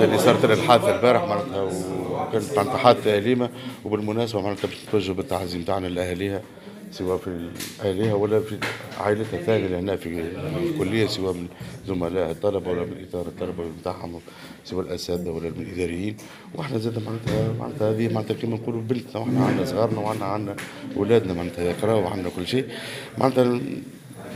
معناتها اللي صارت لنا الحادثة البارح معناتها، وكانت معناتها حادثه اليمه. وبالمناسبة معناتها باش نتوجه بالتعازي نتاعنا لاهاليها، سواء في اهاليها ولا في عائلتها الثانية اللي هنا في الكليه، سواء من زملاء الطلبة ولا من اطار الطلبة نتاعهم، سواء الاساتذة ولا من الاداريين. واحنا زاد معناتها هذه معناتها كما نقولوا بنتنا، واحنا عندنا صغارنا وعندنا اولادنا معناتها يقراوا وعندنا كل شيء. معناتها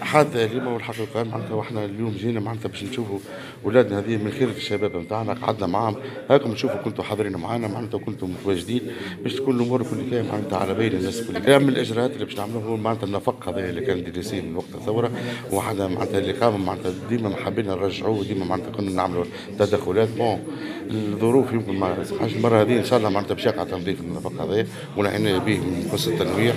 حادثة أليمة والحقيقة معناتها، واحنا اليوم جينا معناتها باش نشوفوا اولادنا هذه من خيرة الشباب نتاعنا، قعدنا معاهم، هاكم تشوفوا كنتوا حاضرين معانا معناتها، كنتوا متواجدين باش تكون الامور كل كان معناتها على بين الناس الكل. من الاجراءات اللي باش نعملوها هو معناتها النفق هذا اللي كان délaissé من وقت الثورة، وحنا معناتها اللي قام معناتها ديما حابين نرجعوه، ديما معناتها كنا نعملوا تدخلات. bon الظروف يمكن ما سمحش، المرة هذه ان شاء الله معناتها باش يقع تنظيف النفق هذا والعناية به من خصوص التنويع.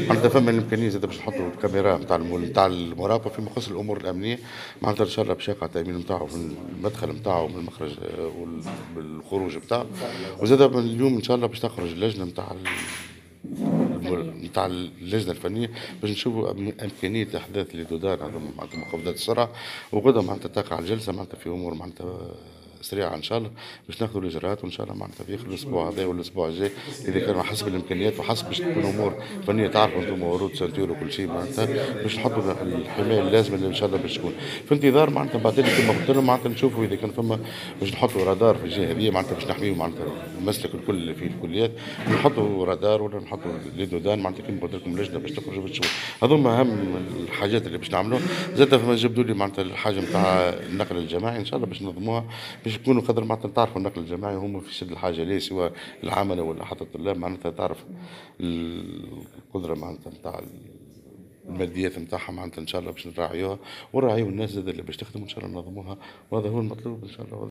معناتها فما الامكانية زاد باش نحطوا الكاميرا نتاع المراقبة فيما يخص الامور الامنية. معناتها ان شاء الله باش يقع التامين نتاعو في المدخل نتاعو من المخرج والخروج نتاعو. وزاد من اليوم ان شاء الله باش تخرج اللجنة نتاع اللجنة الفنية باش نشوفوا امكانية احداث les dos d'âne هذوما معناتها مخفضات السرعه. وغدا معناتها تقع الجلسة معناتها في امور معناتها سريعة ان شاء الله باش ناخذوا الاجراءات، وان شاء الله معناتها في الاسبوع هذا والاسبوع الجاي اذا كان حسب الامكانيات وحسب باش تكون امور فنية، تعرفوا انتم ورود ceinture وكل شيء معناتها باش نحطوا الحماية اللازمة اللي ان شاء الله باش تكون في انتظار معناتها بعدين كما قلت لهم معناتها نشوفوا اذا كان فما باش نحطوا رادار في الجهة هذه معناتها باش نحميوا معناتها المسلك الكل اللي فيه الكليات، نحطوا رادار ولا نحطوا les dos d'âne معناتها كما قلت لكم لجنة باش تخرج باش تشوف. هذوما اهم الحاجات اللي باش نعملوها. زاد فما جبدوا لي معناتها الحاجة نتاع النقل الجماعي ان شاء الله باش ننظموها باش يكونوا قدر معناتها تعرفوا النقل الجماعي هم في شد الحاجة ليه، سواء العملة ولا حتى الطلاب معناتها تعرف القدرة معناتها نتاع الماديات نتاعها معناتها ان شاء الله باش نراعيوها ونراعيو الناس زاد اللي باش تخدم ان شاء الله ننظموها، وهذا هو المطلوب ان شاء الله.